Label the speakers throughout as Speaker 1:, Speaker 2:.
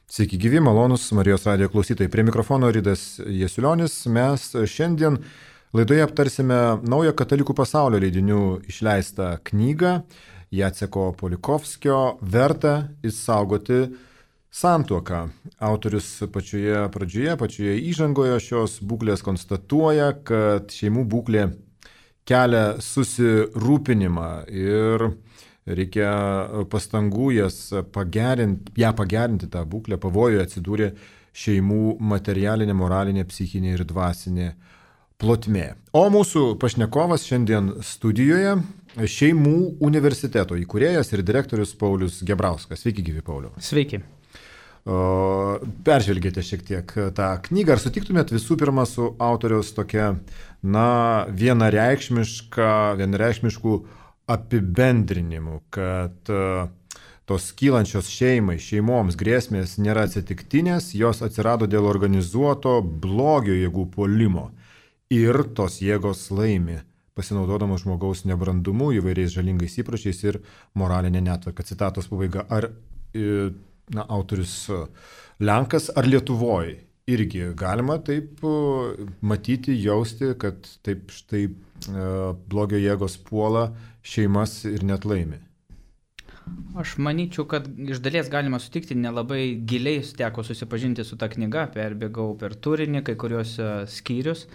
Speaker 1: Sveiki gyvi, malonus Marijos radijo klausytojai. Prie mikrofono Ridas Jasiulionis. Mes šiandien laidoje aptarsime naują katalikų pasaulio leidinių išleistą knygą Jaceko Polikovskio "Verta išsaugoti santuoką". Autorius pačioje pradžioje, pačioje įžangoje šios būklės konstatuoja, kad šeimų būklė kelia susirūpinimą ir reikia pastangų ją pagerinti tą būklę. Pavojoje atsidūrė šeimų materialinė, moralinė, psichinė ir dvasinė plotmė. O mūsų pašnekovas šiandien studijoje Šeimų universiteto įkūrėjas ir direktorius Paulius Gebrauskas. Sveiki gyvi, Pauliau.
Speaker 2: Sveiki.
Speaker 1: Peržvelgėte šiek tiek tą knygą. Ar sutiktumėt visų pirma su autoriaus tokia, vienareikšmiškų apibendrinimu, kad tos kylančios šeimoms grėsmės nėra atsitiktinės, jos atsirado dėl organizuoto blogio jėgų puolimo ir tos jėgos laimi, pasinaudodamos žmogaus nebrandumu, įvairiais žalingais įpročiais ir moralinė netvarka. Citatos pabaiga. Ar autorius Lenkas ar Lietuvoje irgi galima taip matyti, jausti, kad taip štai blogio jėgos puola šeimas ir net laimi?
Speaker 2: Aš manyčiau, kad iš dalies galima sutikti, nelabai giliai teko susipažinti su ta knyga, perbėgau per turinį, kai kurios skyrius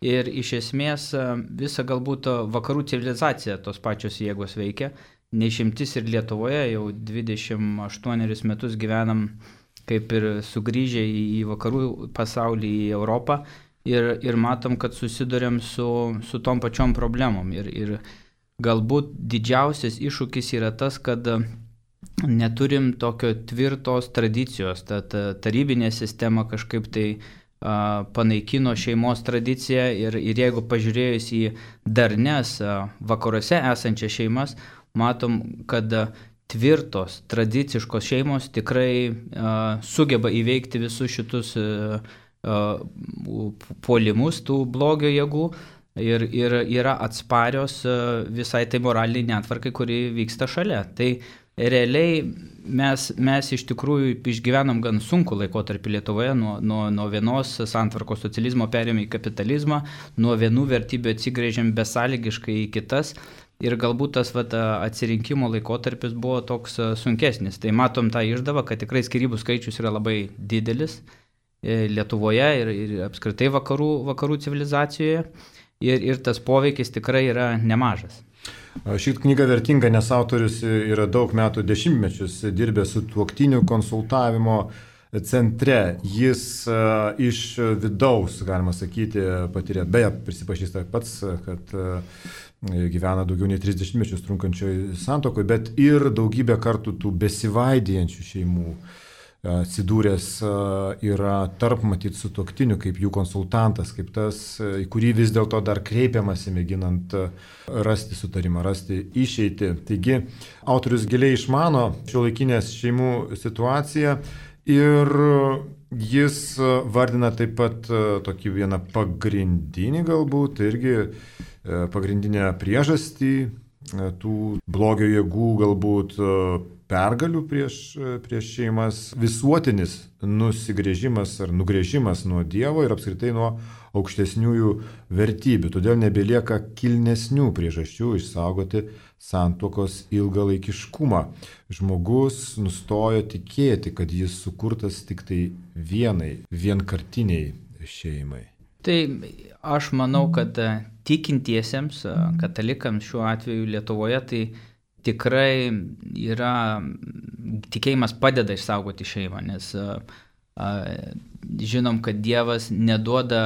Speaker 2: ir iš esmės visa galbūt vakarų civilizacija tos pačios jėgos veikia. Neišimtis ir Lietuvoje jau 28 metus gyvenam kaip ir sugrįžę į vakarų pasaulį, į Europą ir matom, kad susiduriam su tom pačiom problemom. Ir galbūt didžiausias iššūkis yra tas, kad neturim tokio tvirtos tradicijos. Ta tarybinė sistema kažkaip tai panaikino šeimos tradiciją ir jeigu pažiūrėjus į darnes vakaruose esančias šeimas, matom, kad tvirtos, tradiciškos šeimos tikrai sugeba įveikti visus šitus puolimus tų blogio jėgų ir yra atsparios visai tai moraliniai netvarkai, kuri vyksta šalia. Tai realiai mes iš tikrųjų išgyvenam gan sunkų laikotarpį Lietuvoje, nuo vienos santvarkos socializmo perėjome į kapitalizmą, nuo vienų vertybių atsigręžėm besąlygiškai į kitas. Ir galbūt tas atsirinkimo laikotarpis buvo toks sunkesnis. Tai matom tą išdavą, kad tikrai skyrybų skaičius yra labai didelis Lietuvoje ir apskritai vakarų civilizacijoje. Ir tas poveikis tikrai yra nemažas.
Speaker 1: Ši knyga vertinga, nes autorius yra daug metų, dešimtmečius dirbęs su tuoktinių konsultavimo centre. Jis iš vidaus, galima sakyti, patyrė, beje, prisipažįsta pats, kad gyvena daugiau nei 30 mečius trunkančioj santuokoje, bet ir daugybę kartų tų besivaidijančių šeimų atsidūręs yra tarp matyt sutuoktinių, kaip jų konsultantas, kaip tas, į kurį vis dėlto dar kreipiamasi, mėginant rasti sutarimą, rasti išeitį. Taigi, autorius giliai išmano šiuolaikinės šeimų situaciją ir jis vardina taip pat tokį vieną pagrindinį galbūt, irgi pagrindinę priežastį tų blogio jėgų galbūt pergalių prieš šeimas, visuotinis nusigręžimas ar nugręžimas nuo Dievo ir apskritai nuo aukštesniųjų vertybių. Todėl nebelieka kilnesnių priežasčių išsaugoti santuokos ilgalaikiškumą. Žmogus nustojo tikėti, kad jis sukurtas tik tai vienkartiniai šeimai.
Speaker 2: Tai aš manau, kad tikintiesiems, katalikams šiuo atveju Lietuvoje, tai tikrai yra, tikėjimas padeda išsaugoti šeimą, nes žinom, kad Dievas neduoda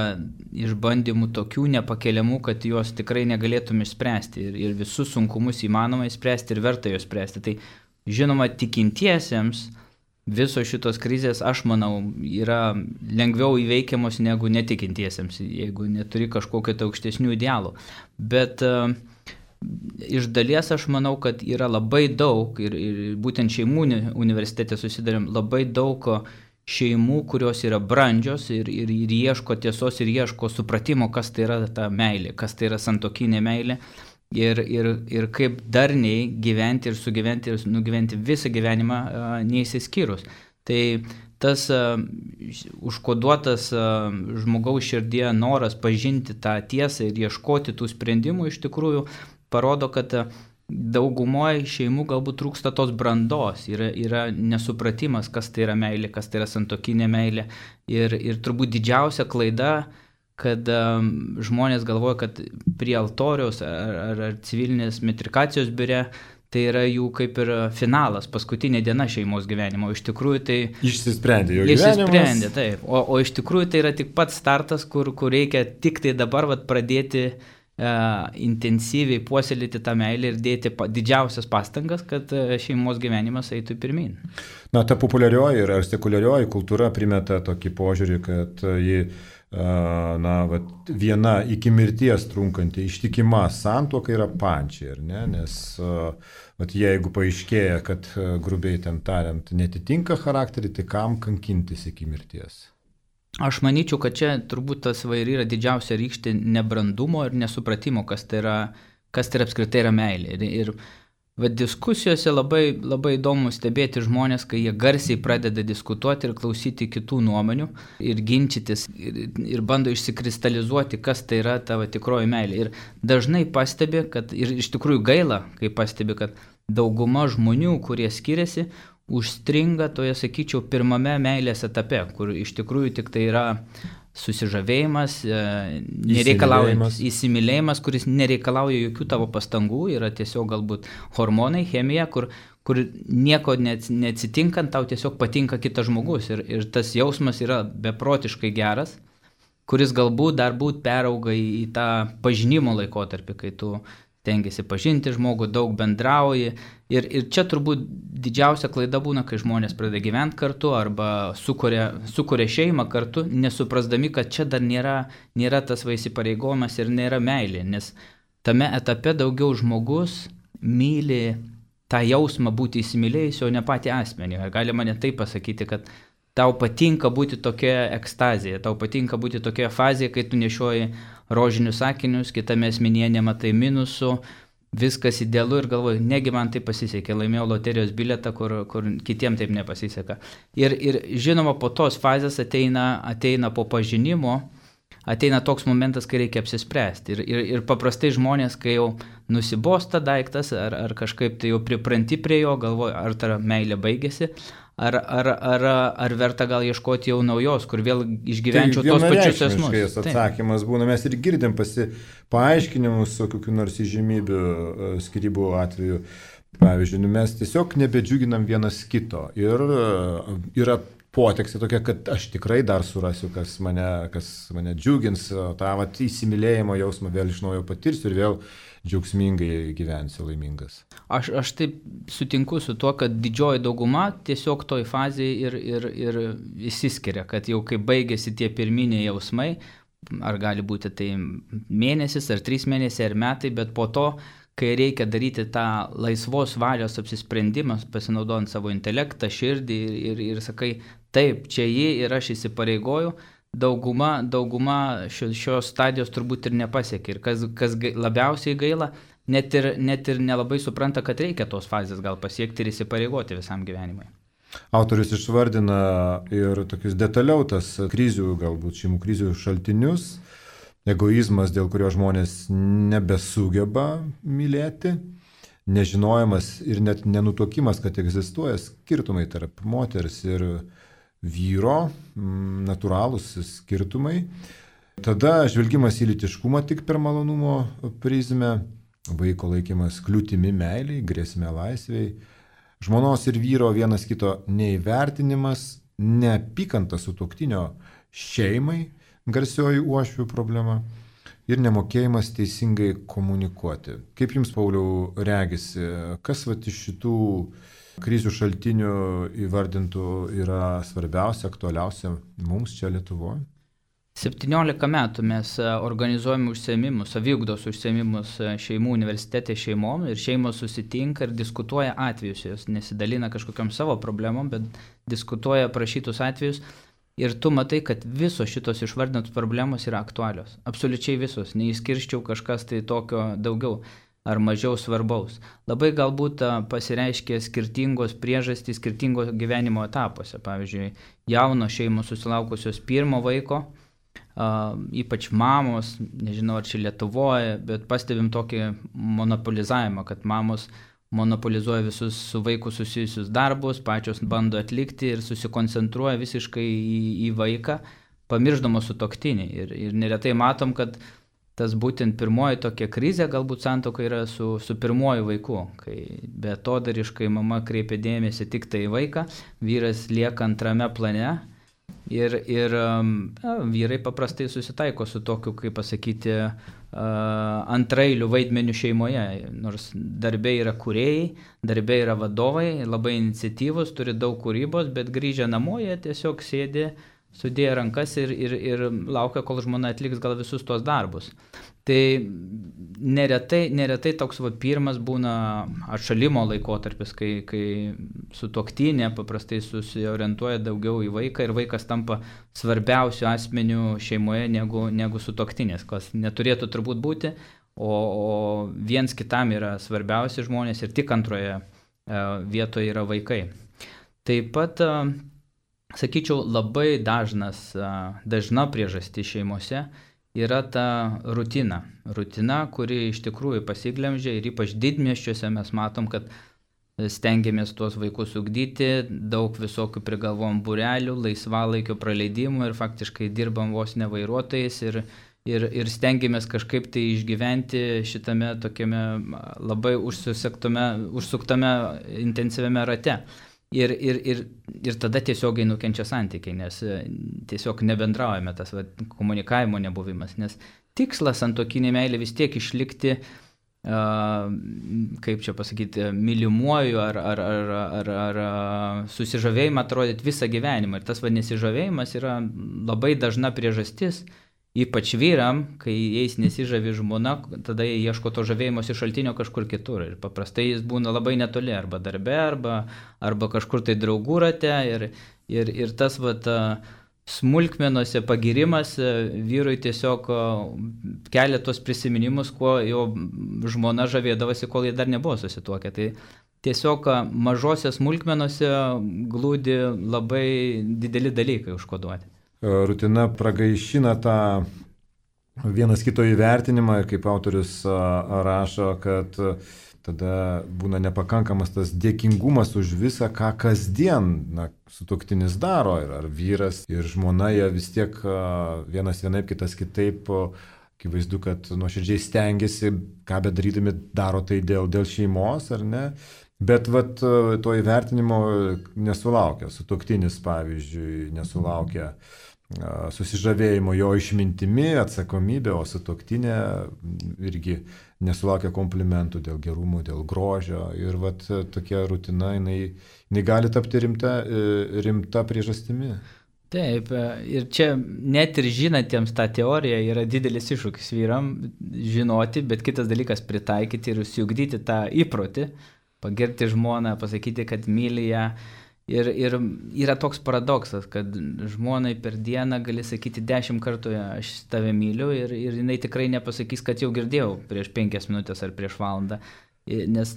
Speaker 2: išbandymų tokių nepakeliamų, kad juos tikrai negalėtum išspręsti ir visus sunkumus įmanoma išspręsti ir verta juos spręsti. Tai žinoma, tikintiesiems visos šitos krizės, aš manau, yra lengviau įveikiamos negu netikintiesiems, jeigu neturi kažkokio tai aukštesnių idealų. Bet iš dalies aš manau, kad yra labai daug ir būtent šeimų universitete susidarėm labai daug šeimų, kurios yra brandžios ir ieško tiesos ir ieško supratimo, kas tai yra ta meilė, kas tai yra santuokinė meilė ir kaip darniai gyventi ir sugyventi ir nugyventi visą gyvenimą neįsiskyrus. Tai tas užkoduotas žmogaus širdie noras pažinti tą tiesą ir ieškoti tų sprendimų iš tikrųjų parodo, kad daugumoje šeimų galbūt trūksta tos brandos, yra nesupratimas, kas tai yra meilė, kas tai yra santuokinė meilė. Ir turbūt didžiausia klaida, kad žmonės galvoja, kad prie altoriaus ar civilinės metrikacijos biure tai yra jų kaip ir finalas, paskutinė diena šeimos gyvenimo. Iš tikrųjų tai...
Speaker 1: Išsisprendė jo gyvenimas.
Speaker 2: Išsisprendė, taip. O iš tikrųjų tai yra tik pats startas, kur reikia tik tai dabar pradėti intensyviai puoselėti tą meilę ir dėti didžiausias pastangas, kad šeimos gyvenimas eitų pirmyn.
Speaker 1: Na, ta populiarioji ir sekuliarioji kultūra primeta tokį požiūrį, kad ji viena iki mirties trunkanti ištikima santuoka yra pančiai, ar ne? Nes jeigu paaiškėja, kad grubiai ten tariant netitinka charakterį, tai kam kankintis iki mirties?
Speaker 2: Aš manyčiau, kad čia turbūt tas ir yra didžiausia rykštė nebrandumo ir nesupratimo, kas tai yra apskritai yra meilė. Ir diskusijose labai įdomu stebėti žmonės, kai jie garsiai pradeda diskutuoti ir klausyti kitų nuomonių ir ginčytis ir bando išsikristalizuoti, kas tai yra tavo tikroji meilė. Ir dažnai pastebi, kad ir iš tikrųjų gaila, kai pastebi, kad dauguma žmonių, kurie skiriasi, užstringa toje, sakyčiau, pirmame meilės etape, kur iš tikrųjų tik tai yra susižavėjimas, įsimylėjimas, kuris nereikalauja jokių tavo pastangų, yra tiesiog galbūt hormonai, chemija, kur nieko neatsitinkant, tau tiesiog patinka kitas žmogus ir tas jausmas yra beprotiškai geras, kuris galbūt dar perauga į tą pažinimo laikotarpį, kai tu stengiasi pažinti žmogų, daug bendrauji. Ir čia turbūt didžiausia klaida būna, kai žmonės pradeda gyventi kartu arba sukuria šeimą kartu, nesuprasdami, kad čia dar nėra tas įsipareigojimas ir nėra meilė. Nes tame etape daugiau žmogus myli tą jausmą būti įsimylėjus, o ne patį asmenį. Galima net taip pasakyti, kad tau patinka būti tokia ekstazija, tau patinka būti tokia fazėje, kai tu nešioji rožinius akinius, kitame asmenyje nematai minusų, viskas idealu ir galvoju, negi man tai pasisekė, laimėjau loterijos bilietą, kur kitiem taip nepasiseka. Ir žinoma, po tos fazės ateina po pažinimo, ateina toks momentas, kai reikia apsispręsti. Ir paprastai žmonės, kai jau nusibosta daiktas, ar kažkaip tai jau pripranti prie jo, galvoju, ar ta meilė baigėsi, ar verta gal ieškoti jau naujos, kur vėl išgyvenčiau tos pačius esmus.
Speaker 1: Atsakymas būna, mes ir girdim paaiškinimus su kokiu nors įžymybių skyrybų atveju. Pavyzdžiui, mes tiesiog nebedžiuginam vienas kito ir yra potekstė tokia, kad aš tikrai dar surasiu, kas mane džiugins, tą įsimylėjimo jausmą vėl iš naujo patirsiu ir vėl džiaugsmingai gyvensiu laimingas.
Speaker 2: Aš taip sutinku su tuo, kad didžioji dauguma tiesiog toj fazėje ir išsiskiria, kad jau kai baigėsi tie pirminiai jausmai, ar gali būti tai mėnesis, ar 3 mėnesiai, ar metai, bet po to, kai reikia daryti tą laisvos valios apsisprendimą, pasinaudojant savo intelektą, širdį ir sakai, taip, čia jį ir aš įsipareigoju, dauguma šios stadijos turbūt ir nepasiekia. Ir kas labiausiai gaila, net ir nelabai supranta, kad reikia tos fazės gal pasiekti ir įsipareigoti visam gyvenimui.
Speaker 1: Autorius išvardina ir tokius detaliau tas krizių, galbūt šeimų krizių šaltinius, egoizmas, dėl kurio žmonės nebesugeba mylėti, nežinojimas ir net nenutuokimas, kad egzistuoja skirtumai tarp moters ir vyro, natūralūs skirtumai. Tada žvelgimas į lytiškumą tik per malonumo prizmę, vaiko laikymas kliūtimi meiliai, grėsmė laisvei, žmonos ir vyro vienas kito neįvertinimas, neapykanta sutuoktinio šeimai, garsioji uošvių problema ir nemokėjimas teisingai komunikuoti. Kaip jums, Pauliau, regisi, kas iš šitų krizių šaltinių įvardintų yra svarbiausia, aktualiausia mums čia Lietuvoje?
Speaker 2: 17 metų mes organizuojame užsiėmimus, saviugdos užsiėmimus šeimų universitete šeimom ir šeimos susitinka ir diskutuoja atvejus, jos nesidalina kažkokiam savo problemom, bet diskutuoja prašytus atvejus ir tu matai, kad visos šitos išvardintos problemos yra aktualios, absoliučiai visos, neįskirščiau kažkas tai tokio daugiau. ar mažiau svarbaus. Labai galbūt pasireiškia skirtingos priežastys skirtingo gyvenimo etapuose. Pavyzdžiui, jaunos šeimos susilaukusios pirmo vaiko, ypač mamos, nežinau ar čia Lietuvoje, bet pastebim tokį monopolizavimą, kad mamos monopolizuoja visus su vaiku susijusius darbus, pačios bando atlikti ir susikoncentruoja visiškai į vaiką, pamirždamos sutuoktinį. Ir neretai matom, kad tas būtent pirmoji tokia krizė galbūt santuoka yra su pirmoju vaiku, kai beatodariškai mama kreipia dėmesį tik tai į vaiką, vyras lieka antrame plane ir vyrai paprastai susitaiko su tokiu, kaip pasakyti, antrailių vaidmenių šeimoje, nors darbė yra kūrėjai, darbė yra vadovai, labai iniciatyvus, turi daug kūrybos, bet grįžę namo jie tiesiog sėdi, sudėję rankas ir laukia, kol žmona atliks gal visus tuos darbus. Tai neretai toks pirmas būna atšalimo laikotarpis, kai sutuoktinė paprastai susiorientuoja daugiau į vaiką ir vaikas tampa svarbiausiu asmeniu šeimoje negu sutuoktinės, kas neturėtų turbūt būti, o viens kitam yra svarbiausi žmonės ir tik antroje vietoje yra vaikai. Taip pat sakyčiau, labai dažna priežastis šeimose yra ta rutina. Rutina, kuri iš tikrųjų pasiglemžia ir ypač didmiesčiuose mes matom, kad stengiamės tuos vaikus ugdyti, daug visokių prigalvom būrelių, laisvalaikio praleidimų ir faktiškai dirbam vos ne vairuotojais ir stengiamės kažkaip tai išgyventi šitame tokiame labai užsuktame intensyviame rate. Ir tada tiesiogiai nukenčia santykiai, nes tiesiog nebendraujame, tas komunikavimo nebuvimas, nes tikslas santuokinė meilė vis tiek išlikti, kaip čia pasakyti, mylimuoju ar susižavėjimą atrodyti visą gyvenimą. Ir tas nesižavėjimas yra labai dažna priežastis, ypač vyram, kai jais nesižavi žmona, tada jie ieško to žavėjimosi šaltinio kažkur kitur. Ir paprastai jis būna labai netoli, arba darbe, arba kažkur tai draugų rate. Ir tas smulkmenose pagirimas vyrui tiesiog kelia tos prisiminimus, kuo jo žmona žavėdavosi, kol jie dar nebuvo susituokę. Tai tiesiog mažose smulkmenose glūdi labai dideli dalykai užkoduoti.
Speaker 1: Rutina pragaišina tą vienas kito įvertinimą ir kaip autorius rašo, kad tada būna nepakankamas tas dėkingumas už visą, ką kasdien sutuoktinis daro, ar vyras ir žmona, jie vis tiek vienas vienaip, kitas kitaip, akivaizdu, kad nuoširdžiai stengiasi, ką bedarydami daro tai dėl šeimos, ar ne? Bet to įvertinimo nesulaukia. Sutuoktinis, pavyzdžiui, nesulaukia susižavėjimo jo išmintimi, atsakomybė, o sutuoktinė irgi nesulaukia komplimentų dėl gerumo, dėl grožio. Ir tokia rutina, jinai gali tapti rimta priežastimi.
Speaker 2: Taip, ir čia net ir žinantiems tą teoriją yra didelis iššūkis vyram žinoti, bet kitas dalykas pritaikyti ir užsiugdyti tą įprotį, pagirti žmoną, pasakyti, kad myli ją. Ir yra toks paradoksas, kad žmonai per dieną gali sakyti 10 kartų aš tave myliu ir jinai tikrai nepasakys, kad jau girdėjau prieš 5 minutės ar prieš valandą. Nes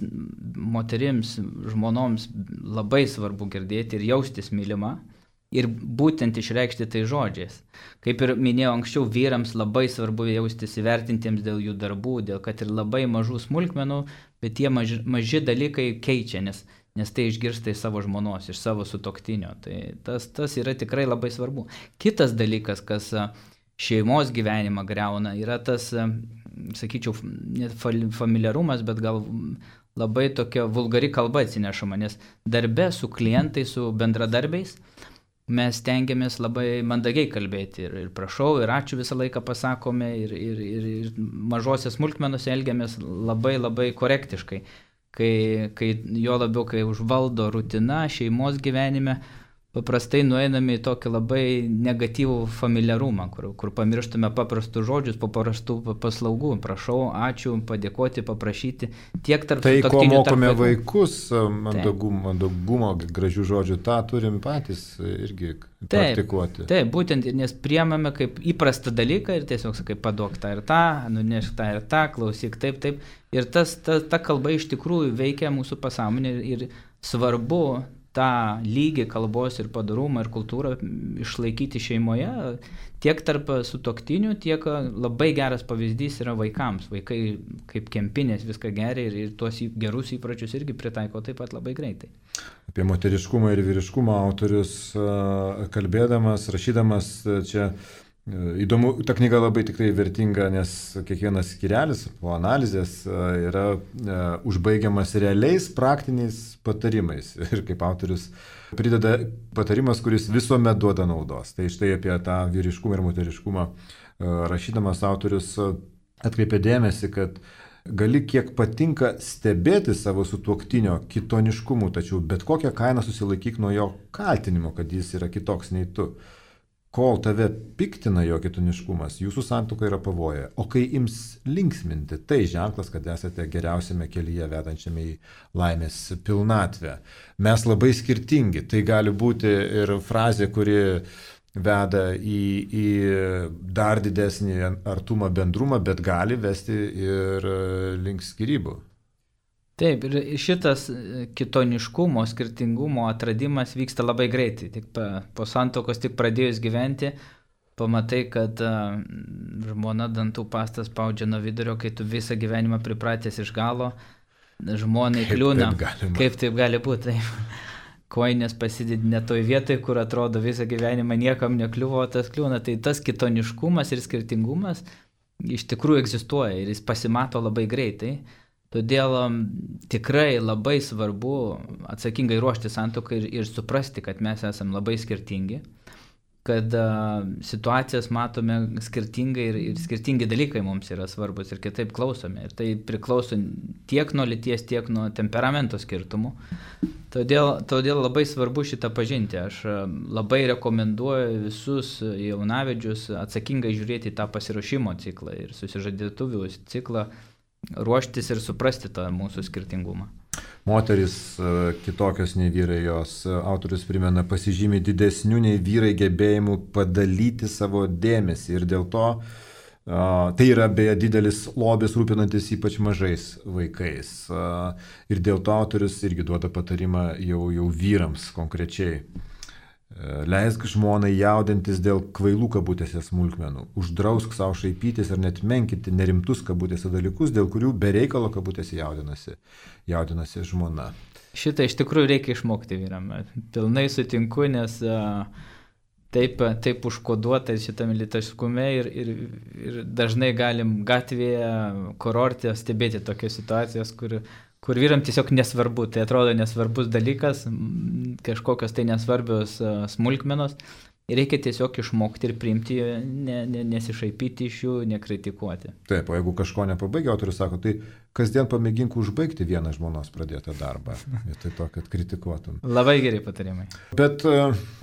Speaker 2: moterims, žmonoms labai svarbu girdėti ir jaustis mylima ir būtent išreikšti tai žodžiais. Kaip ir minėjau anksčiau, vyrams labai svarbu jaustis įvertintiems dėl jų darbų, dėl kad ir labai mažų smulkmenų, bet tie maži dalykai keičia, nes tai išgirsta iš savo žmonos, iš savo sutuoktinio. Tai tas yra tikrai labai svarbu. Kitas dalykas, kas šeimos gyvenimą griauna, yra tas, sakyčiau, net familiarumas, bet gal labai tokia vulgari kalba atsinešama, nes darbe su klientais, su bendradarbiais mes stengiamės labai mandagiai kalbėti ir prašau, ir ačiū visą laiką pasakome, ir mažose smulkmenose elgiamės labai labai korektiškai. Kai jo labiau, kai užvaldo rutina šeimos gyvenime, paprastai nueiname į tokį labai negatyvų familiarumą, kur pamirštume paprastus žodžius, paprastų paslaugų. Prašau, ačiū, padėkoti, paprašyti. Tiek tarp
Speaker 1: tai, ko
Speaker 2: sutuoktinių,
Speaker 1: mokome
Speaker 2: tarp
Speaker 1: vaikus, mandagumo, gražių žodžių, tą turim patys irgi praktikuoti.
Speaker 2: Taip, būtent, nes priemame kaip įprastą dalyką ir tiesiog sakai, paduok tą ir tą, nunešk tą ir tą, klausyk taip. Ir ta kalba iš tikrųjų veikia mūsų pasąmonę ir svarbu tą lygį kalbos ir padorumą ir kultūrą išlaikyti šeimoje, tiek tarp sutuoktinių, tiek labai geras pavyzdys yra vaikams. Vaikai kaip kempinės viską geria ir tuos gerus įpročius irgi pritaiko taip pat labai greitai.
Speaker 1: Apie moteriškumą ir vyriškumą autorius kalbėdamas, rašydamas čia įdomu, ta knyga labai tikrai vertinga, nes kiekvienas skyrelis po analizės yra užbaigiamas realiais praktiniais patarimais. Ir kaip autorius prideda patarimas, kuris visuomet duoda naudos. Tai štai apie tą vyriškumą ir moteriškumą rašydamas autorius atkreipia dėmesį, kad gali kiek patinka stebėti savo sutuoktinio kitoniškumu, tačiau bet kokią kainą susilaikyk nuo jo kaltinimo, kad jis yra kitoks nei tu. Kol tave piktina jo kitoniškumas, jūsų santuoka yra pavoje. O kai ims linksminti, tai ženklas, kad esate geriausiame kelyje vedančiame į laimės pilnatvę. Mes labai skirtingi. Tai gali būti ir frazė, kuri veda į dar didesnį artumą, bendrumą, bet gali vesti ir link skyrybų.
Speaker 2: Taip, ir šitas kitoniškumo, skirtingumo atradimas vyksta labai greitai. Tik po santuokos tik pradėjus gyventi, pamatai, kad žmona dantų pastą spaudžia nuo vidurio, kai tu visą gyvenimą pripratęs iš galo, žmonai kliūna. Kaip taip gali būti? Koinės pasidedi ne toj vietoj, kur atrodo visą gyvenimą niekam nekliuvo, tas kliūna. Tai tas kitoniškumas ir skirtingumas iš tikrųjų egzistuoja ir jis pasimato labai greitai. Todėl tikrai labai svarbu atsakingai ruošti santuoką ir suprasti, kad mes esame labai skirtingi, kad situacijas matome skirtingai ir skirtingi dalykai mums yra svarbus ir kitaip klausome. Ir tai priklauso tiek nuo lyties, tiek nuo temperamento skirtumų. Todėl labai svarbu šitą pažinti. Aš labai rekomenduoju visus jaunavedžius atsakingai žiūrėti į tą pasiruošimo ciklą ir susižadėtuvių ciklą, ruoštis ir suprasti tą mūsų skirtingumą.
Speaker 1: Moteris kitokios nei vyrai, jos autorius primena, pasižymi didesnių nei vyrai gebėjimų padalyti savo dėmesį ir dėl to tai yra beje didelis lobis rūpinantis ypač mažais vaikais. Ir dėl to autorius irgi duoda patarimą jau vyrams konkrečiai. Leisk žmonai jaudintis dėl kvailų kabutėse smulkmenų, uždrausk savo šaipytis ir net menkinti nerimtus kabutėse dalykus, dėl kurių be reikalo kabutėse jaudinasi žmona.
Speaker 2: Šitą iš tikrųjų reikia išmokti vyram. Pilnai sutinku, nes taip užkoduota šitame lytiškume ir dažnai galim gatvėje, kurorte stebėti tokias situacijas, kur vyram tiesiog nesvarbu, tai atrodo nesvarbus dalykas, kažkokios tai nesvarbios smulkmenos. Ir reikia tiesiog išmokti ir priimti, nesišaipyti iš jų, nekritikuoti.
Speaker 1: Taip, o jeigu kažko nepabaigia, autorius sako, tai kasdien pamėgink užbaigti vieną žmonos pradėtą darbą, vietoj to, kad kritikuotum.
Speaker 2: Labai gerai patarimai.
Speaker 1: Bet,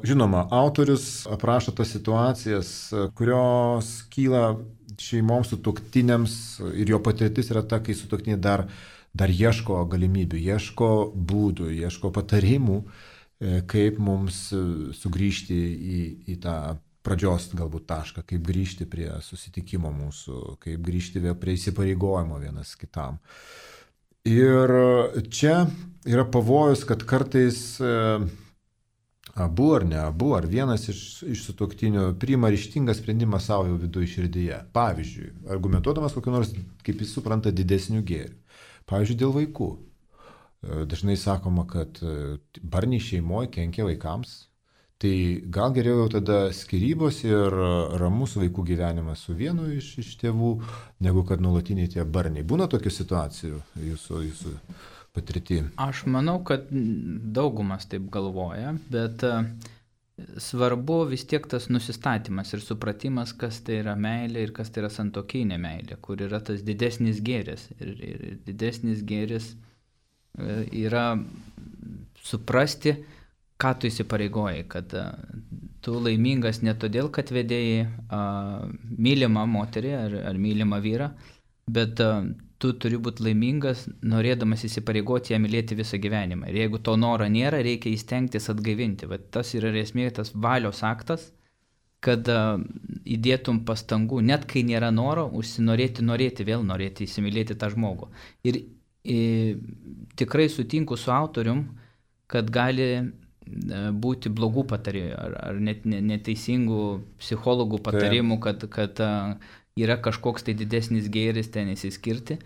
Speaker 1: žinoma, autorius aprašo tas situacijas, kurios kyla šeimoms sutuoktiniams ir jo patirtis yra ta, kai sutuoktiniai dar ieško galimybių, ieško būdų, ieško patarimų, kaip mums sugrįžti į tą pradžios galbūt tašką, kaip grįžti prie susitikimo mūsų, kaip grįžti prie įsipareigojimo vienas kitam. Ir čia yra pavojus, kad kartais abu ar ne abu, ar vienas iš sutuoktinių priima ryžtingą sprendimą savo viduje širdyje. Pavyzdžiui, argumentuodamas kokiu nors, kaip jis supranta, didesnių gėrių. Pavyzdžiui, dėl vaikų. Dažnai sakoma, kad barniai šeimoje kenkia vaikams. Tai gal geriau jau tada skyrybos ir ramus vaikų gyvenimas su vienu iš tėvų, negu kad nuolatiniai tie barniai. Būna tokių situacijų jūsų patirty?
Speaker 2: Aš manau, kad daugumas taip galvoja, bet svarbu vis tiek tas nusistatymas ir supratimas, kas tai yra meilė ir kas tai yra santuokinė meilė, kur yra tas didesnis gėris. Ir didesnis gėris yra suprasti, ką tu įsipareigojai, kad tu laimingas ne todėl, kad vedėjai mylimą moterį ar mylimą vyrą, bet tu turi būti laimingas, norėdamas įsipareigoti ją mylėti visą gyvenimą. Ir jeigu to noro nėra, reikia įstengtis atgaivinti. Bet tas yra esmė, tas valios aktas, kad įdėtum pastangų, net kai nėra noro, norėti, vėl norėti įsimylėti tą žmogų. Ir tikrai sutinku su autorium, kad gali būti blogų patarimų ar net neteisingų psichologų patarimų, kad yra kažkoks tai didesnis gėris ten įsiskirti.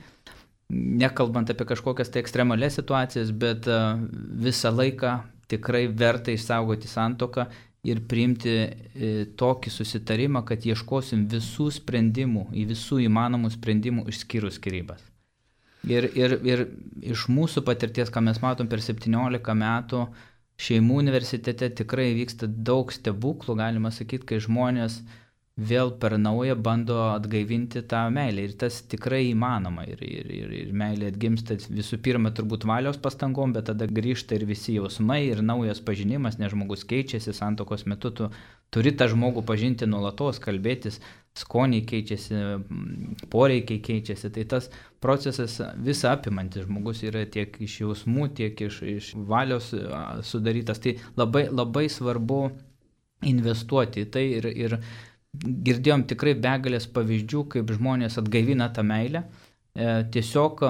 Speaker 2: Nekalbant apie kažkokias tai ekstremalias situacijas, bet visą laiką tikrai verta išsaugoti santuoką ir priimti tokį susitarimą, kad ieškosim visų sprendimų, į visų įmanomų sprendimų išskyrus skyrybas. Ir iš mūsų patirties, ką mes matom per 17 metų, šeimų universitete tikrai vyksta daug stebuklų, galima sakyti, kai žmonės vėl per naują bando atgaivinti tą meilę. Ir tas tikrai įmanoma. Ir meilė atgimsta visų pirma turbūt valios pastangom, bet tada grįžta ir visi jausmai, ir naujas pažinimas, nes žmogus keičiasi, santuokos metu tu turi tą žmogų pažinti nuolatos, kalbėtis, skoniai keičiasi, poreikiai keičiasi. Tai tas procesas visą apimantis, žmogus yra tiek iš jausmų, tiek iš valios sudarytas. Tai labai, labai svarbu investuoti į tai ir girdėjom tikrai begalės pavyzdžių, kaip žmonės atgaivina tą meilę, tiesiog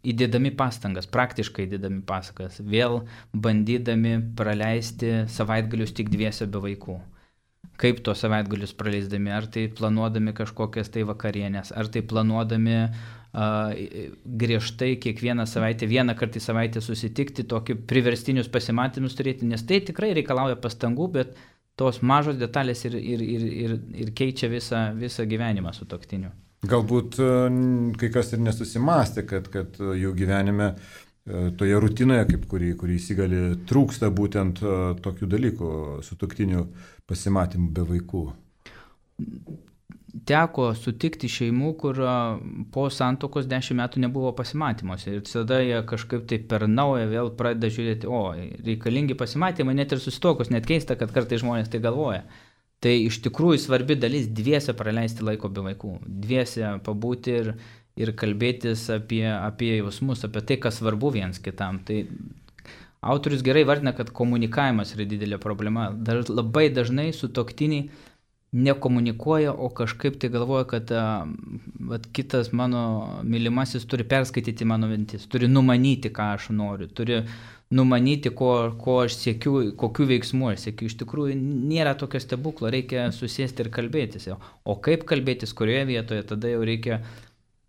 Speaker 2: įdėdami pastangas, praktiškai įdėdami pastangas, vėl bandydami praleisti savaitgalius tik dviese be vaikų. Kaip tuos savaitgalius praleisdami, ar tai planuodami kažkokias tai vakarienės, ar tai planuodami griežtai kiekvieną savaitę, vieną kartą į savaitę susitikti, tokį priverstinius pasimatymus turėti, nes tai tikrai reikalauja pastangų, bet tos mažos detalės ir keičia visą gyvenimą sutuoktinių.
Speaker 1: Galbūt kai kas ir nesusimastė, kad jų gyvenime toje rutinoje, kaip kurį įsigali, trūksta būtent tokių dalykų, sutuoktinių pasimatymų be vaikų.
Speaker 2: Teko sutikti šeimų, kur po santuokos 10 metų nebuvo pasimatymuose. Ir tada jie kažkaip tai per naują vėl pradeda žiūrėti, reikalingi pasimatymai, net ir susituokus, net keista, kad kartais žmonės tai galvoja. Tai iš tikrųjų svarbi dalis dviese praleisti laiko be vaikų. Dviese pabūti ir kalbėtis apie jausmus, apie tai, kas svarbu viens kitam. Tai autorius gerai vardina, kad komunikavimas yra didelė problema. Labai dažnai sutuoktiniai nekomunikuoja, o kažkaip tai galvoja, kad kitas mano mylimasis turi perskaityti mano mintis, turi numanyti, ką aš noriu, turi numanyti, ko aš siekiu, kokių veiksmų aš siekiu. Iš tikrųjų, nėra tokio stebuklo, reikia susėsti ir kalbėtis. O kaip kalbėtis, kurioje vietoje, tada jau reikia,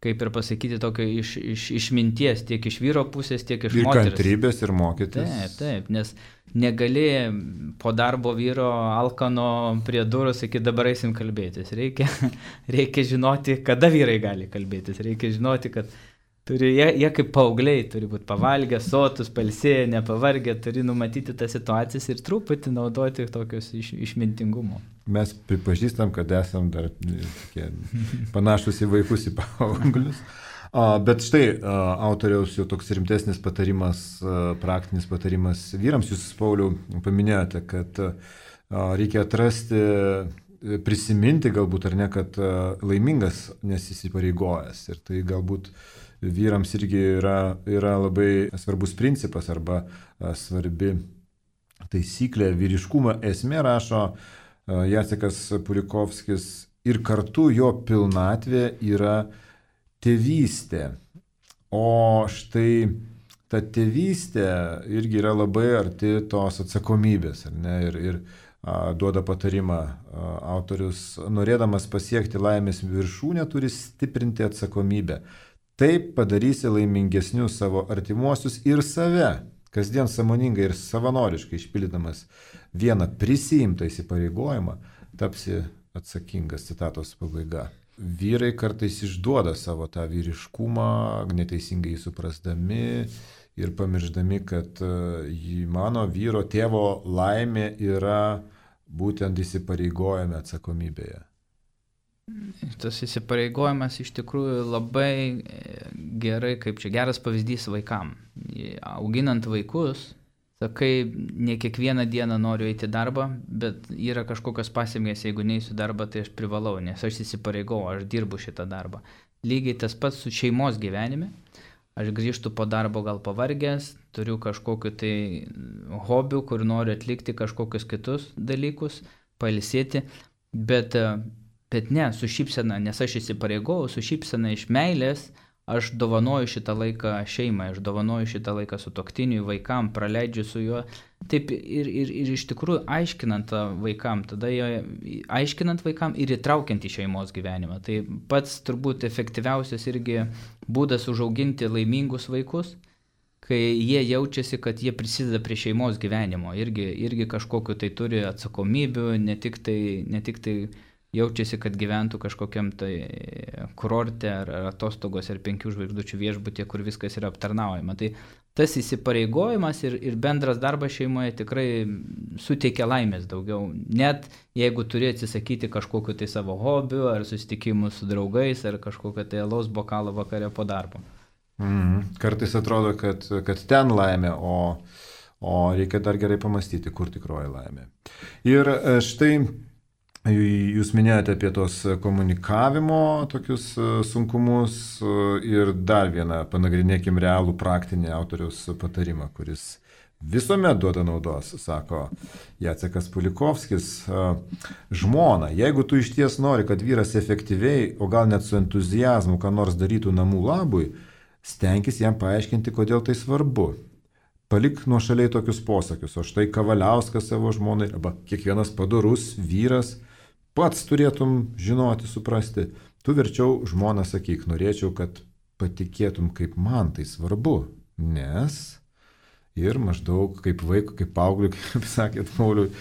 Speaker 2: kaip ir pasakyti, tokio iš minties, tiek iš vyro pusės, tiek iš moters.
Speaker 1: Ir kantrybės, ir mokytis.
Speaker 2: Taip, nes negali po darbo vyro alkano prie durų sakyti, dabar eisim kalbėtis. Reikia žinoti, kada vyrai gali kalbėtis. Reikia žinoti, kad jie kaip paaugliai turi būti pavalgę, sotus, pailsėję, nepavargę, turi numatyti tas situacijas ir truputį naudoti tokius išmintingumo.
Speaker 1: Mes pripažįstam, kad esam dar panašus į vaikus, į paauglius. Bet štai autoriaus jau toks rimtesnis patarimas, praktinis patarimas vyrams. Jūs, Pauliau, paminėjote, kad reikia atrasti, prisiminti galbūt ar ne, kad laimingas nesįsipareigojęs. Ir tai galbūt vyrams irgi yra labai svarbus principas arba svarbi taisyklė. Vyriškumo esmė, rašo Jacekas Pulikovskis, ir kartu jo pilnatvė yra tėvystė. O štai ta tėvystė irgi yra labai arti tos atsakomybės. Ar ne? Ir duoda patarimą autorius, norėdamas pasiekti laimės viršūnę, turi stiprinti atsakomybę. Taip padarysi laimingesnius savo artimuosius ir save, kasdien sąmoningai ir savanoriškai išpildydamas vieną prisiimtą įsipareigojimą, tapsi atsakingas, citatos pabaiga. Vyrai kartais išduoda savo tą vyriškumą, neteisingai jį suprasdami ir pamirždami, kad mano vyro tėvo laimė yra būtent įsipareigojame atsakomybėje.
Speaker 2: Tas įsipareigojimas iš tikrųjų labai gerai, kaip čia geras pavyzdys vaikam. Auginant vaikus, Sakai, ne kiekvieną dieną noriu eiti į darbą, bet yra kažkokios pasekmės, jeigu neįsiu darbą, tai aš privalau, nes aš įsipareigau, aš dirbu šitą darbą. Lygiai tas pats su šeimos gyvenime. Aš grįžtu po darbo gal pavargęs, turiu kažkokiu tai hobių, kur noriu atlikti kažkokius kitus dalykus, pailsėti, bet ne, su šypsena, nes aš įsipareigau, su šypsena iš meilės, aš dovanoju šitą laiką šeimai, aš dovanoju šitą laiką sutuoktiniui, vaikam, praleidžiu su juo. Taip ir iš tikrųjų aiškinant vaikam, tada aiškinant vaikam ir įtraukiant į šeimos gyvenimą. Tai pats turbūt efektyviausias irgi būdas užauginti laimingus vaikus, kai jie jaučiasi, kad jie prisideda prie šeimos gyvenimo, irgi kažkokiu tai turi atsakomybių, ne tik tai jaučiasi, kad gyventų kažkokiam tai kurorte ar atostogos ar 5 žvaigždučių viešbutyje, kur viskas yra aptarnaujama. Tai tas įsipareigojimas ir bendras darbas šeimoje tikrai suteikia laimės daugiau. Net jeigu turi atsisakyti kažkokiu tai savo hobių ar susitikimų su draugais ar kažkokio tai alaus bokalo vakare po darbo.
Speaker 1: Kartais atrodo, kad ten laimė, o reikia dar gerai pamastyti, kur tikroji laimė. Ir štai jūs minėjote apie tos komunikavimo tokius sunkumus ir dar vieną panagrinėkim realų praktinį autoriaus patarimą, kuris visuomet duoda naudos, sako Jacekas Pulikovskis. Žmona, jeigu tu iš ties nori, kad vyras efektyviai, o gal net su entuziazmu, ką nors darytų namų labui, stenkis jam paaiškinti, kodėl tai svarbu. Palik nuošaliai tokius posakius, o štai Kavaliauskas savo žmonai, arba kiekvienas padorus vyras, pats turėtum žinoti, suprasti. Tu verčiau žmoną sakyk, norėčiau, kad patikėtum, kaip man tai svarbu, nes ir maždaug kaip vaikui, kaip paaugliui, kaip sakėt, Pauliui,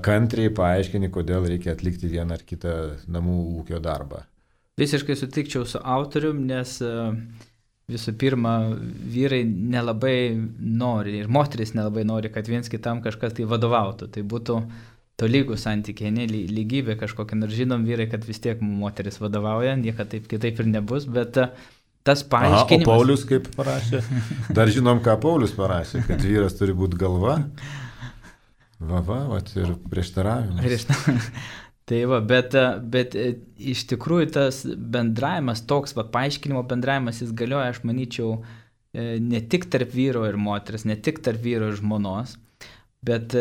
Speaker 1: kantriai paaiškini, kodėl reikia atlikti vieną ar kitą namų ūkio darbą.
Speaker 2: Visiškai sutikčiau su autorium, nes visų pirma, vyrai nelabai nori ir moteris nelabai nori, kad viens kitam kažkas tai vadovautų. Tai būtų tolygų santykiai, ne lygybė kažkokia, nors žinom vyrai, kad vis tiek moteris vadovauja, niekada taip kitaip ir nebus, bet tas paaiškinimas...
Speaker 1: O Paulius kaip parašė? Dar žinom, ką Paulius parašė, kad vyras turi būti galva. Ir prieštaravimas.
Speaker 2: Tai va, bet iš tikrųjų tas bendravimas, toks paaiškinimo bendravimas, jis galioja, aš manyčiau, ne tik tarp vyro ir moters, ne tik tarp vyro ir žmonos, bet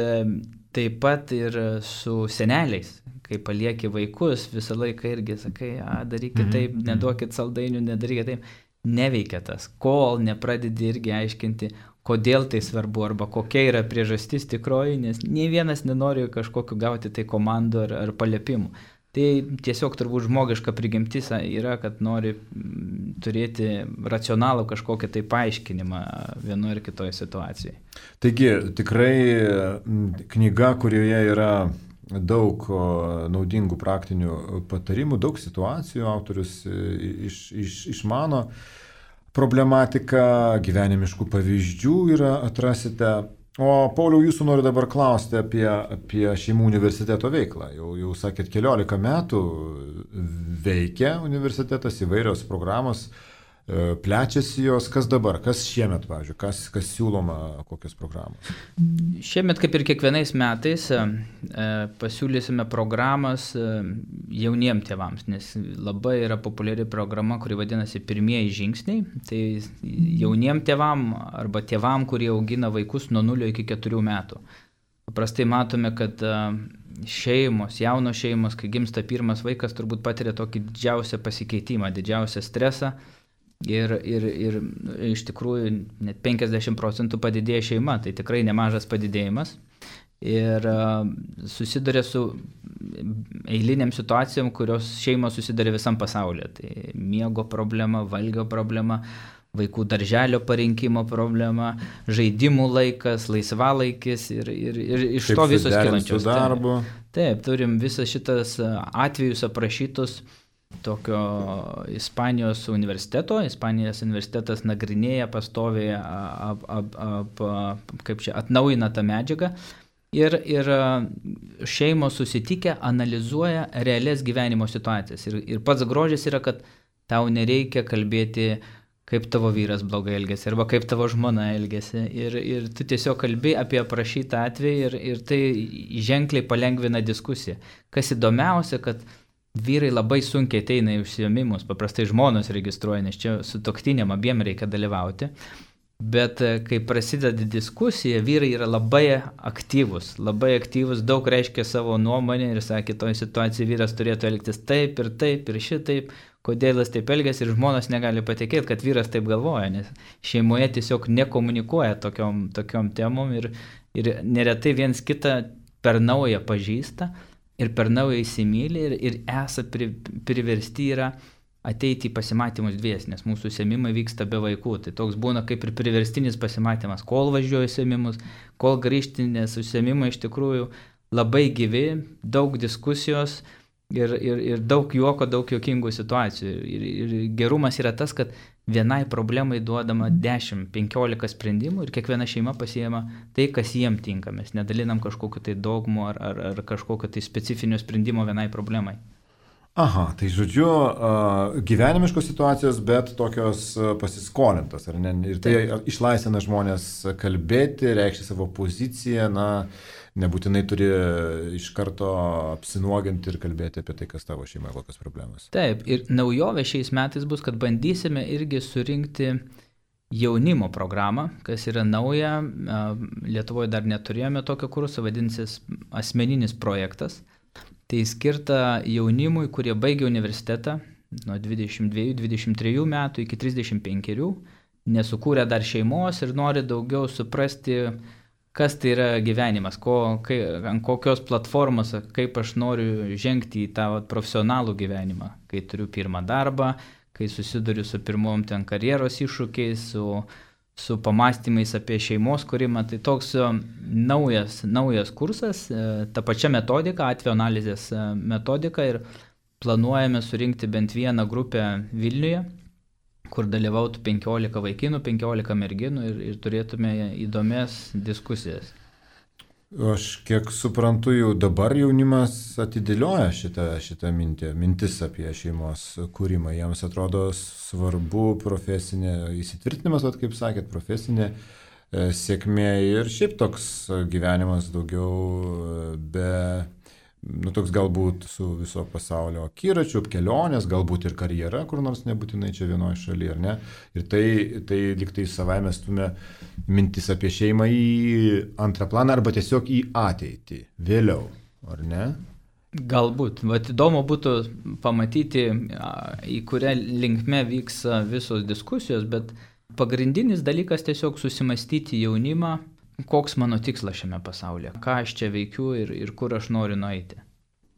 Speaker 2: taip pat ir su seneliais, kai palieki vaikus, visą laiką irgi sakai, darykit taip, neduokit saldainių, nedarykit taip, neveikia tas, kol nepradedi irgi aiškinti, kodėl tai svarbu arba kokia yra priežastis tikroji, nes nei vienas nenori kažkokiu gauti tai komandų ar paliepimų. Tai tiesiog turbūt žmogiška prigimtis yra, kad nori turėti racionalų kažkokį tai paaiškinimą vienoje ir kitoje situacijoje.
Speaker 1: Taigi, tikrai knyga, kurioje yra daug naudingų praktinių patarimų, daug situacijų, autorius išmano problematiką, gyvenimiškų pavyzdžių yra atrasite. O Pauliau, jūsų noriu dabar klausti apie Šeimų universiteto veiklą. Jau sakėt, 14 metų veikia universitetas, įvairios programos, plečiasi jos. Kas dabar, kas šiemet, pavyzdžiui, kas siūloma, kokios programos?
Speaker 2: Šiemet, kaip ir kiekvienais metais, pasiūlysime programas jauniem tėvams, nes labai yra populiari programa, kuri vadinasi Pirmieji žingsniai. Tai jauniem tėvam arba tėvam, kurie augina vaikus nuo 0 iki 4 metų. Paprastai matome, kad šeimos, jaunos šeimos, kai gimsta pirmas vaikas, turbūt patiria tokį didžiausią pasikeitimą, didžiausią stresą. Ir iš tikrųjų net 50% padidėja šeima, tai tikrai nemažas padidėjimas. Ir susiduria su eiliniam situacijom, kurios šeimos susiduria visam pasaulyje. Tai miego problema, valgio problema, vaikų darželio parinkimo problema, žaidimų laikas, laisvalaikis ir iš to visos kylančios. Taip, turim visas šitas atvejus aprašytus tokio Ispanijos universiteto. Ispanijos universitetas nagrinėja pastoviai, atnaujina tą medžiagą ir šeimos susitikę analizuoja realias gyvenimo situacijas. Ir pats grožis yra, kad tau nereikia kalbėti, kaip tavo vyras blogai elgėsi, arba kaip tavo žmona elgėsi. Ir tu tiesiog kalbi apie aprašytą atvejį ir tai ženkliai palengvina diskusiją. Kas įdomiausia, kad vyrai labai sunkiai ateina į užsiėmimus, paprastai žmonos registruoja, nes čia sutuoktiniam abiem reikia dalyvauti. Bet kai prasideda diskusija, vyrai yra labai aktyvus, daug reiškia savo nuomonę ir sakė, toj situacijai vyras turėtų elgtis taip ir šitaip, kodėl jis taip elgiasi ir žmonos negali patikėti, kad vyras taip galvoja, nes šeimoje tiesiog nekomunikuoja tokiom temom ir neretai viens kitą per naują pažįsta ir per naują įsimylį ir priversti yra ateiti į pasimatymus dvies, nes mūsų užsiėmimai vyksta be vaikų. Tai toks būna kaip ir priverstinis pasimatymas, kol važiuoju užsiėmimus, kol grįžti, nes užsiėmimai iš tikrųjų labai gyvi, daug diskusijos ir daug juoko, daug juokingų situacijų. Ir gerumas yra tas, kad vienai problemai duodama 10-15 sprendimų ir kiekviena šeima pasiėma tai, kas jiem tinka. Mes nedalinam kažkokiu tai dogmu ar kažkokiu tai specifinio sprendimo vienai problemai.
Speaker 1: Aha, tai žodžiu, gyvenimiškos situacijos, bet tokios pasiskolintos, ar ne? Ir tai išlaisvina žmonės kalbėti, reikšti savo poziciją, nebūtinai turi iš karto apsinuoginti ir kalbėti apie tai, kas tavo šeima, kokios problemos.
Speaker 2: Taip, ir naujovė šiais metais bus, kad bandysime irgi surinkti jaunimo programą, kas yra nauja, Lietuvoje dar neturėjome tokio kurso, vadinsis asmeninis projektas. Tai skirta jaunimui, kurie baigia universitetą nuo 22-23 metų iki 35, nesukūrė dar šeimos ir nori daugiau suprasti, kas tai yra gyvenimas, ant kokios platformos, kaip aš noriu žengti į tą profesionalų gyvenimą, kai turiu pirmą darbą, kai susiduriu su pirmom ten karjeros iššūkiais, su pamastymais apie šeimos kūrimą. Tai toks naujas kursas, ta pačia metodika, atvejo analizės metodika ir planuojame surinkti bent vieną grupę Vilniuje, kur dalyvautų 15 vaikinų, 15 merginų ir turėtume įdomias diskusijas.
Speaker 1: Aš kiek suprantu, jau dabar jaunimas atidėlioja šitą mintis apie šeimos kūrimą. Jiems atrodo svarbu profesinė įsitvirtinimas, kaip sakėt, profesinė sėkmė ir šiaip toks gyvenimas daugiau toks galbūt su viso pasaulio akiračiu, kelionės, galbūt ir karjera, kur nors nebūtinai čia vienoje šalyje, ar ne? Ir tai lyg tai savaime stumia mintis apie šeimą į antrą planą arba tiesiog į ateitį, vėliau, ar ne?
Speaker 2: Galbūt. Įdomu būtų pamatyti, į kurią linkme vyks visos diskusijos, bet pagrindinis dalykas tiesiog susimastyti jaunimą, koks mano tikslas šiame pasaulyje, ką aš čia veikiu ir kur aš noriu nueiti.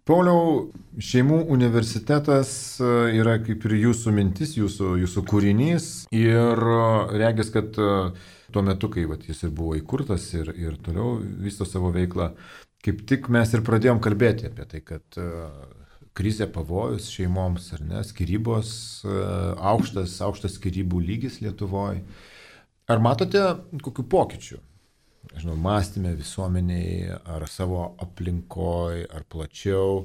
Speaker 1: Pauliau, Šeimų universitetas yra kaip ir jūsų mintis, jūsų kūrinys ir regis, kad tuo metu, kai jis ir buvo įkurtas ir toliau vysto savo veiklą, kaip tik mes ir pradėjom kalbėti apie tai, kad krizė, pavojus šeimoms, ar ne, skyrybos, aukštas skyrybų lygis Lietuvoje. Ar matote kokių pokyčių? Mąstyme visuomeniai, ar savo aplinkoje, ar plačiau.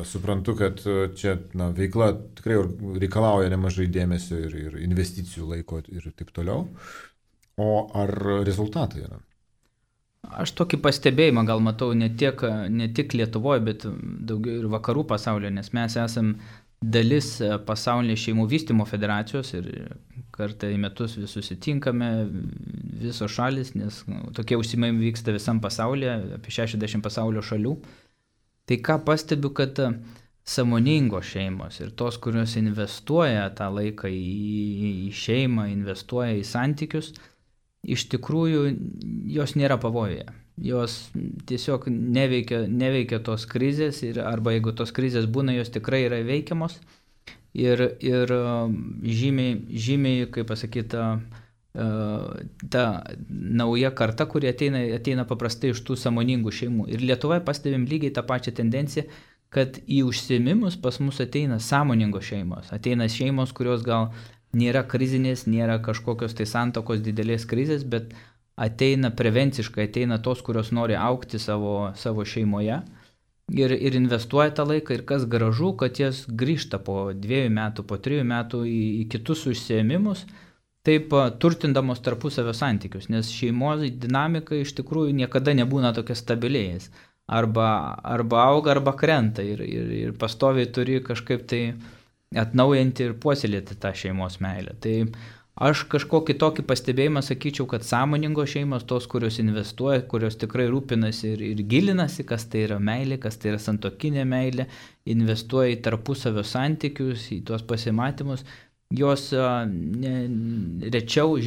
Speaker 1: Suprantu, kad čia veikla tikrai reikalauja nemažai dėmesio ir investicijų laiko ir taip toliau. O ar rezultatai yra?
Speaker 2: Aš tokį pastebėjimą gal matau ne tik Lietuvoje, bet daugiau ir vakarų pasaulyje, nes mes esam dalis pasaulinės šeimų vystymo federacijos ir kartą į metus vis susitinkame, visos šalis, nes tokie užsiėmimai vyksta visam pasaulyje, apie 60 pasaulio šalių. Tai ką pastebiu, kad sąmoningos šeimos ir tos, kurios investuoja tą laiką į šeimą, investuoja į santykius, iš tikrųjų jos nėra pavojuje. Jos tiesiog neveikia tos krizės arba jeigu tos krizės būna, jos tikrai yra veikiamos ir žymiai, kaip pasakyta, ta nauja karta, kuri ateina paprastai iš tų sąmoningų šeimų. Ir Lietuvoje pastebim lygiai tą pačią tendenciją, kad į užsiėmimus pas mus ateina sąmoningos šeimos. Ateina šeimos, kurios gal nėra krizinės, nėra kažkokios tai santuokos didelės krizės, bet ateina prevenciškai, ateina tos, kurios nori augti savo šeimoje ir investuoja tą laiką ir kas gražu, kad jas grįžta po 2 metų, po 3 metų į kitus užsiėmimus, taip turtindamos tarpusavio santykius, nes šeimos dinamika iš tikrųjų niekada nebūna tokia stabiliais. Arba auga, arba krenta ir pastoviai turi kažkaip tai atnaujinti ir puoselėti tą šeimos meilę. Tai aš kažkokį tokį pastebėjimą sakyčiau, kad sąmoningos šeimos, tos, kurios investuoja, kurios tikrai rūpinasi ir gilinasi, kas tai yra meilė, kas tai yra santuokinė meilė, investuoja į tarpusavio santykius, į tuos pasimatymus, jos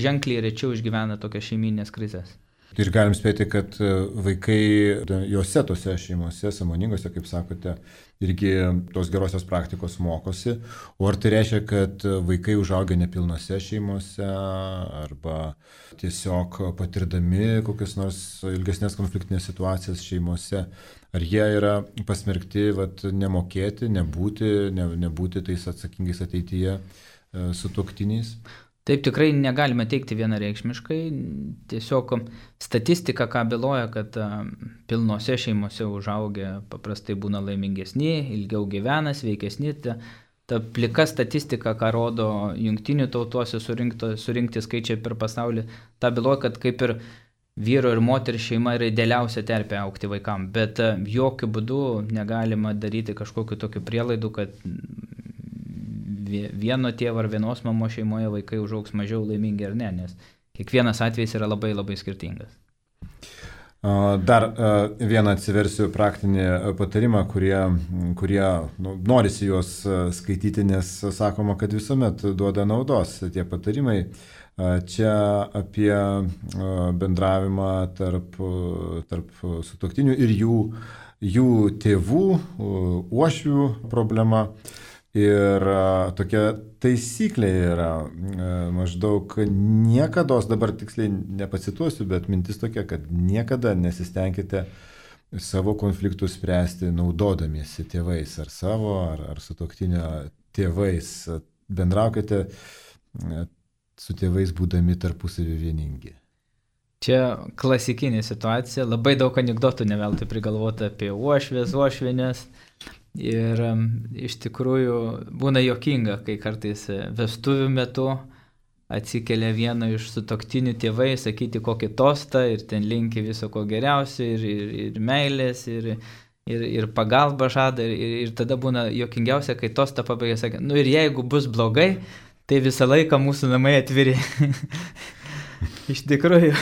Speaker 2: ženkliai rečiau išgyvena tokias šeiminės krizės.
Speaker 1: Ir galim spėti, kad vaikai jose tose šeimose, sąmoningose, kaip sakote, irgi tos gerosios praktikos mokosi. O ar tai reiškia, kad vaikai užaugia nepilnose šeimose arba tiesiog patirdami kokias nors ilgesnės konfliktinės situacijas šeimose, ar jie yra pasmerkti nemokėti, nebūti tais atsakingais ateityje sutuoktiniais?
Speaker 2: Taip tikrai negalime teikti vienareikšmiškai, tiesiog statistika ką byloja, kad pilnose šeimose užaugę paprastai būna laimingesni, ilgiau gyvena, sveikesni. Ta plika statistika, ką rodo jungtinių tautuose surinkti skaičiai per pasaulį, ta byloja, kad kaip ir vyro ir moterų šeima yra idealiausia terpė augti vaikam, bet jokių būdų negalima daryti kažkokiu tokiu prielaidų, kad vieno tėvo ar vienos mamos šeimoje vaikai užaugs mažiau laimingi ar ne, nes kiekvienas atvejis yra labai labai skirtingas.
Speaker 1: Dar vieną atsiversiu praktinį patarimą, kurie norisi juos skaityti, nes sakoma, kad visuomet duoda naudos tie patarimai. Čia apie bendravimą tarp sutuoktinių ir jų tėvų, uošvių problema. Ir tokia taisyklė yra maždaug niekados, dabar tiksliai nepacituosiu, bet mintis tokia, kad niekada nesistengkite savo konfliktų spręsti naudodamiesi tėvais ar savo, ar sutuoktinio tėvais. Bendraukite su tėvais būdami tarpusavį vieningi.
Speaker 2: Čia klasikinė situacija, labai daug anekdotų neveltui prigalvota apie uošvinės. Ir iš tikrųjų būna juokinga, kai kartais vestuvių metu atsikelia vieno iš sutuoktinių tėvai sakyti kokį tostą ir ten linki viso ko geriausio ir meilės ir pagalbą žada ir tada būna juokingiausia, kai tostą pabaigia sakė, ir jeigu bus blogai, tai visą laiką mūsų namai atviri. Iš tikrųjų,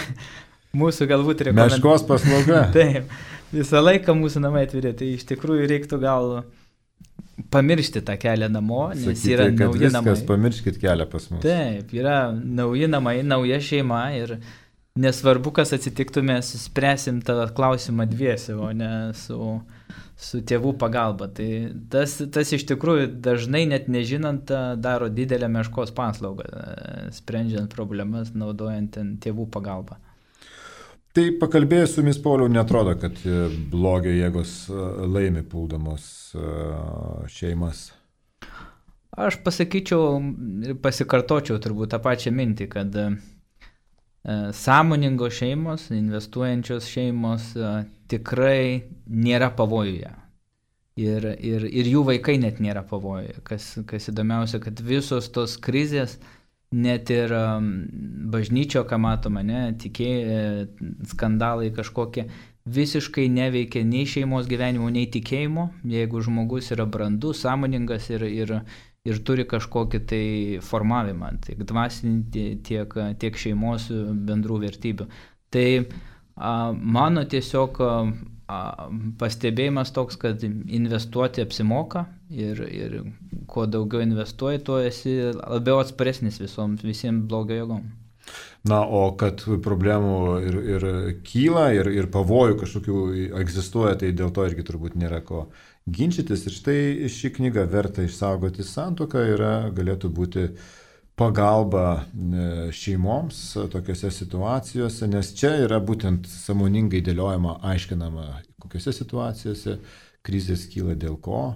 Speaker 2: mūsų galbūt rekomendacija.
Speaker 1: Meškos paslauga.
Speaker 2: Taip. Visą laiką mūsų namai atviri, tai iš tikrųjų reiktų gal pamiršti tą kelią namo, nes sakyti, yra nauji namai.
Speaker 1: Pamirškit kelią pas mus.
Speaker 2: Taip, yra nauji namai, nauja šeima ir nesvarbu, kas atsitiktų, mes spręsim tą klausimą dviese, o ne su tėvų pagalba. Tai tas iš tikrųjų dažnai net nežinant daro didelę meškos paslaugą, sprendžiant problemas, naudojant tėvų pagalbą.
Speaker 1: Tai pakalbėjus su jumis, Pauliau, netrodo, kad blogio jėgos laimi puldamos šeimas?
Speaker 2: Aš pasakyčiau ir pasikartočiau turbūt tą pačią mintį, kad sąmoningos šeimos, investuojančios šeimos tikrai nėra pavojuje. Ir jų vaikai net nėra pavojuje. Kas įdomiausia, kad visos tos krizės, net ir bažnyčio, ką matome, skandalai kažkokie, visiškai neveikia nei šeimos gyvenimo, nei tikėjimo, jeigu žmogus yra brandus, sąmoningas ir turi kažkokį tai formavimą, tiek dvasinį, tiek šeimos bendrų vertybių. Tai mano tiesiog pastebėjimas toks, kad investuoti apsimoka ir kuo daugiau investuoji, tuo esi labiau atsparesnis visiems blogio jėgom.
Speaker 1: Na, o kad problemų ir kyla, ir pavojų kažkokių egzistuoja, tai dėl to irgi turbūt nėra ko ginčytis. Ir štai ši knyga Verta išsaugoti santuoką galėtų būti pagalba šeimoms tokiose situacijose, nes čia yra būtent sąmoningai dėliojama, aiškinama, kokiose situacijose krizės kyla dėl ko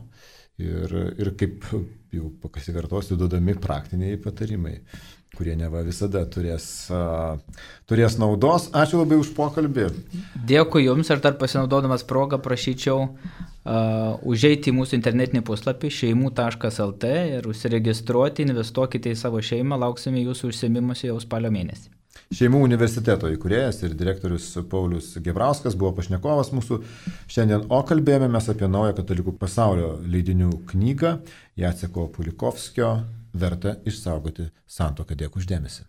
Speaker 1: ir kaip jau pasikartosiu, duodami praktiniai patarimai, kurie neva visada turės naudos. Ačiū labai už pokalbį.
Speaker 2: Dėkui Jums, ir dar pasinaudodamas progą prašyčiau užeiti į mūsų internetinį puslapį šeimų.lt ir užsiregistruoti, investuokite į savo šeimą, lauksime jūsų užsiėmimuose jau spalio mėnesį.
Speaker 1: Šeimų universiteto įkūrėjas ir direktorius Paulius Gebrauskas buvo pašnekovas mūsų šiandien, o kalbėjome mes apie naują katalikų pasaulio leidinių knygą Jaceko Pulikovskio Verta išsaugoti santuoką. Dėkui už dėmesį.